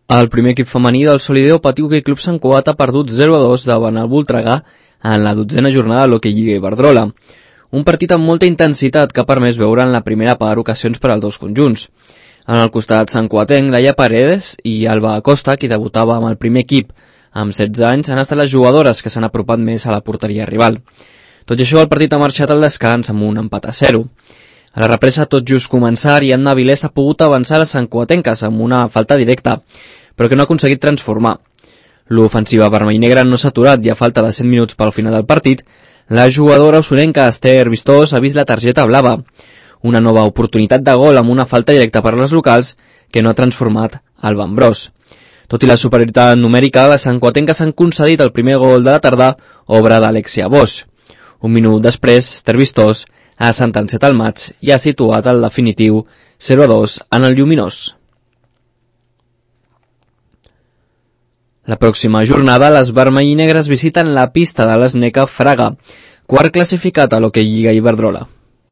El primer equip femení del Solideo Patí Hoquei Club Sant Cugat ha perdut 0-2 davant el Voltregà en la 12a jornada de l'Hoquei Lliga Iberdrola. Un partit amb molta intensitat que ha permès veure en la primera part ocasions per als dos conjunts. En el costat santcugatenc, Laia Paredes i Alba Acosta, qui debutava amb el primer equip amb 16 anys, han estat les jugadores que s'han apropat més a la porteria rival. Tot i això, el partit ha marxat al descans amb un empat a 0. A la represa, tot just començar, i Anna Avilés ha pogut avançar a les santcugatenques amb una falta directa, però que no ha aconseguit transformar. L'ofensiva vermell i negra no s'ha aturat i a falta de 100 minuts pel final del partit, la jugadora usonenca Esther Vistós ha vist la targeta blava. Una nova oportunitat de gol amb una falta directa per les locals que no ha transformat Alba Ambrós. Tot i la superioritat numèrica, les santcugatenques han concedit el primer gol de la tarda, obra d'Alexia Bosch. Un minut després, Esther Vistós ha sentenciat el maig i ha situat el definitiu 0-2 en el Lluminós. La pròxima jornada, les vermell i negres visiten la pista de l'Sneca Fraga, quart classificat a l'Hoquei Lliga Iberdrola.